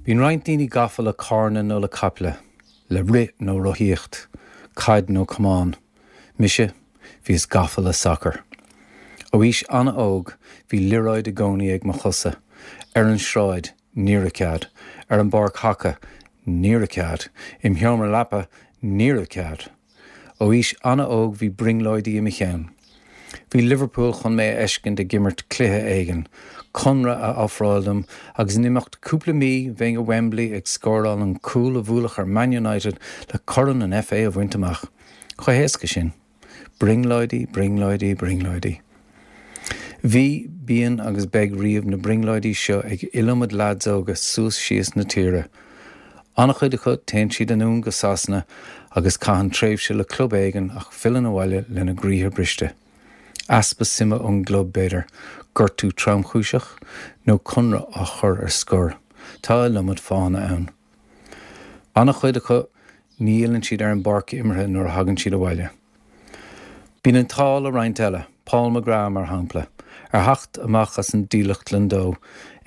Bíonn roinnt daoine gafa le carranna nó le caiple, le rith nó rothaíocht, caid nó camán. Mise, bhíos gafa le sacar. Ó aois an-óg, bhí liathróid i gcónaí ag mo chosa. Ar an sráid, ní raibh cead. Ar an bpáirc haca, ní raibh cead. Im sheomra leapa, ní raibh cead. Ó aois an-óg bhí brionglóidí i mo cheann. Bhí Liverpool chun mé a fheiscint ag imirt cluiche éigin, conradh a ofráil dom agus in imeacht cúpla mí bheinn i Wembley ag scóráil an cúl a bhuailfeadh ar Man United le Corn an FA a bhaint amach. Chomh héasca sin. Brionglóidí, brionglóidí, brionglóidí. Bhí, bíonn agus beidh riamh na brionglóidí seo ag iliomad leaids óga suas síos na tíre. An-chuid acu téann siad anonn go Sasana agus caitheann tréimhse le club éigin ach filleann abhaile lena gcroíthe briste. Easpa suime ón gclub, b'fhéidir, gortú tromchúiseach, nó conradh á chur ar scor. Tá iliomad fáthanna ann. An-chuid acu ní fhilleann siad ar an bpáirc imeartha nuair a thagann siad abhaile. Bíonn an t-ádh le roinnt eile, Paul McGrath mar shampla. Ar theacht amach as an dílleachtlann dó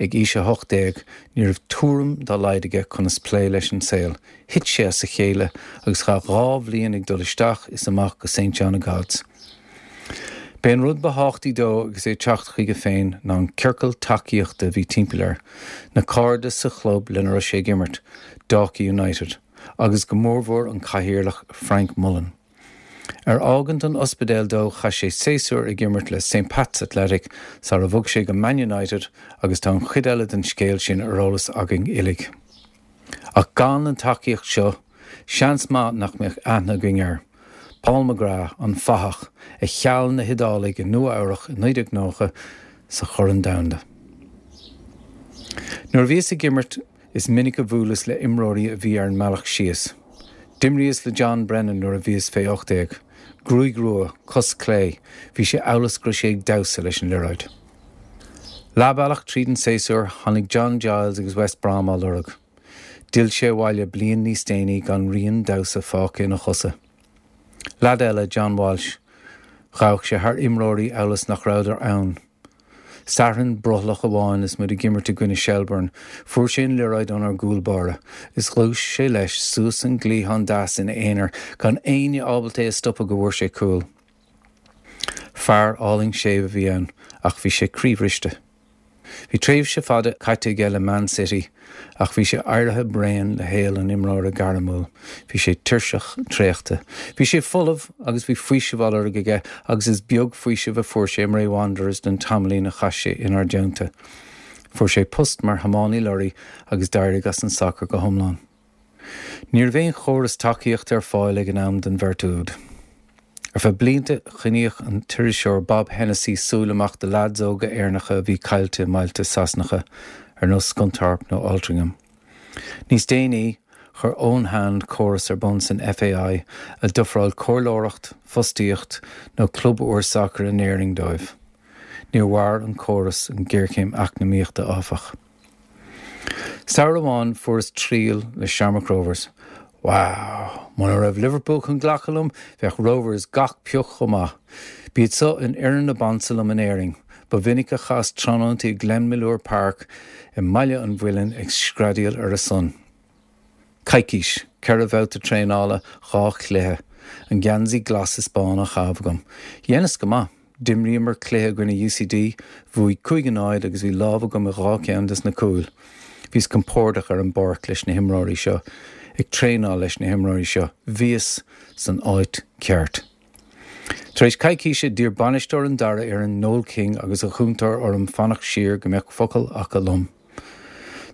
ag aois 18, ní raibh tuairim dá laghad aige conas plé leis an saol. Thit sé as a chéile agus chaith 2 bhliain ag dul isteach is amach go St John of God's. B'é an rud ba thábhachtaí dó agus é ag teacht chuige féin ná an ciorcal tacaíochta a bhí timpeall air, na cairde sa chlub lena raibh sé ag imirt, Dalkey United, agus go mórmhór an cathaoirleach Frank Mullen. Ar fhágaint an ospidéil dó chaith sé séasúr ag imirt le St Pat's Athletic sara bhog sé go Man United agus tá an chuid eile den scéal sin ar eolas againn uilig. Ach gan an tacaíocht seo, seans maith nach mbeadh aithne againn air. Paul McGrath, an fathach, a cheal na hIodálaigh i Nua Eabhrach i 1990 sa Chorn Domhanda. Nuair a bhíos ag imirt Is minic a bhuaileas le imreoirí a bhí ar an mbealach síos. D'imríos le John Brennan nuair a bhíos fé 18. Gruaig rua, cos clé, bhí sé amhail is go raibh sé ag damhsa leis an liathróid. Leathbhealach tríd an séasúr, tháinig John Giles agus West Brom á lorg. D'fhill sé abhaile bliain níos déanaí gan rian damhsa fágtha ina chosa. Leaid eile, John Walsh, ghabhadh sé thar imreoirí amhail is nach rabhadar ann. Satharn brothallach amháin is muid ag imirt i gcoinne Shelbourne, fuair sé an liathróid ónár gcúl báire is ghluais sé leis suas an cliathán deas ina aonar gan éinne ábalta é a stopadh go bhfuair sé cúl. Fear álainn séimh a bhí ann ach bhí sé croíbhriste. Bhí tréimhse fada caite aige le Man City ach bhí sé éirithe bréan le shaol an imreora gairmiúil. Bhí sé tuirseach, traochta. Bhí sé folamh agus bhí faoiseamh á lorg aige agus is beag faoiseamh a fuair sé i mBray Wanderers don tamaillín a chaith sé inár dteannta. Fuair sé post mar thiománaí lorraí agus d'éirigh as an sacar go hiomlán. Ní raibh aon chóras tacaíochta ar fáil ag an am don bheirt úd. Ar feadh blianta choinníodh an t-iriseoir Bob Hennessy súil amach do leaids óga Éireannacha a bhí caillte i mbailte Sasanacha ar nós Scunthorpe nó Altrincham. Níos déanaí, chuir Eoin Hand córas ar bun san FAI a d'ofráil comhairleoireacht, fostaíocht nó club úr sacair in Éirinn dóibh. Níor mhair an córas an ghéarchéim eacnamaíochta, áfach. Samhradh amháin fuaireas triail le Shamrock Rovers. Wow! Muna raibh Liverpool chun glacadh liom, bheadh Rovers gach pioc chomh maith. B'iad so an fhoireann ab ansa liom in Éirinn. Ba mhinic a chaitheas tráthnóntaí i Glenmalure Park i mBaile an Mhuilinn ag screadaíl ar a son. Coicís, 4 bhabhta traenála, 2 chluiche. An geansaí glas is bán á chaitheamh agam. Dheineas go maith. D'imríomar cluiche i gcoinne UCD, bhuaigh 5-0 agus bhí lámh agam i 2 cheann des na cúil. Bhíos compordach ar an bpáirc leis na himreoirí seo, ag traenáil leis na himreoirí seo, bhíos san áit ceart. Tar éis coicíse, d'iarr bainisteoir an dara fhoireann, Noel King, agus a chúntóir orm fanacht siar go mbeadh focal acu liom.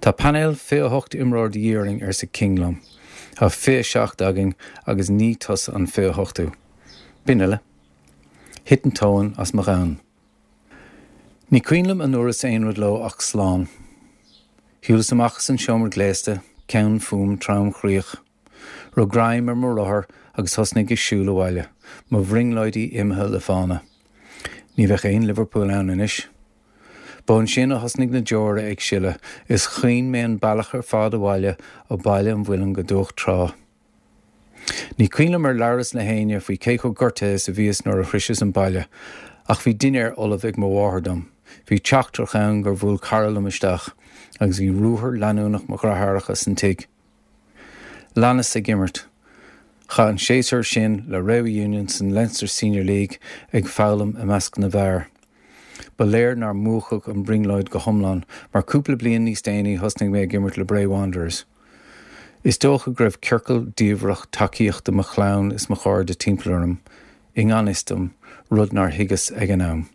Tá painéal 28 imreoir de dhíth orainn, arsa King liom. Tá 27 againn agus ní tusa an 28ú. B'in uile. Thit an tóin as mo dhomhan. Ní cuimhin liom an ndúras aon rud leo ach slán. Shiúlas amach as an seomra gléasta, ceann fúm tromchroíoch. Rug greim ar mo rothar agus thosnaigh ag siúl abhaile, mo bhrionglóidí imithe le fána. Ní bheadh aon Liverpool ann anois. Ba ansin a thosnaigh na deora ag sileadh is chaoin mé an bealach ar fad abhaile ó Baile an Mhuilinn go Dumhach Trá. Ní cuimhin liom ar labhras le héinne faoi cé chomh gortaithe is a bhíos nuair a shroiseas an baile, ach bhí dinnéar ullamh ag mo mháthair dom. Bhí teachtaireacht ann gur bhuail cara liom isteach agus bhí ruathar leanúnach mo dheartháireacha san tigh. Leanas ag imirt. Chaith an séasúr sin le Rewa Union san Leinster Senior League ag foghlaim i measc na bhfear. Ba léir nár múchadh an brionglóid go hiomlán mar cúpla bliain níos déanaí thosnaigh mé ag imirt le Bray Wanderers. Is dócha go raibh ciorcal diamhrach tacaíochta mo chlann is mo chairde timpeall orm, i ngan fhios dom, rud nár thuigeas ag an am.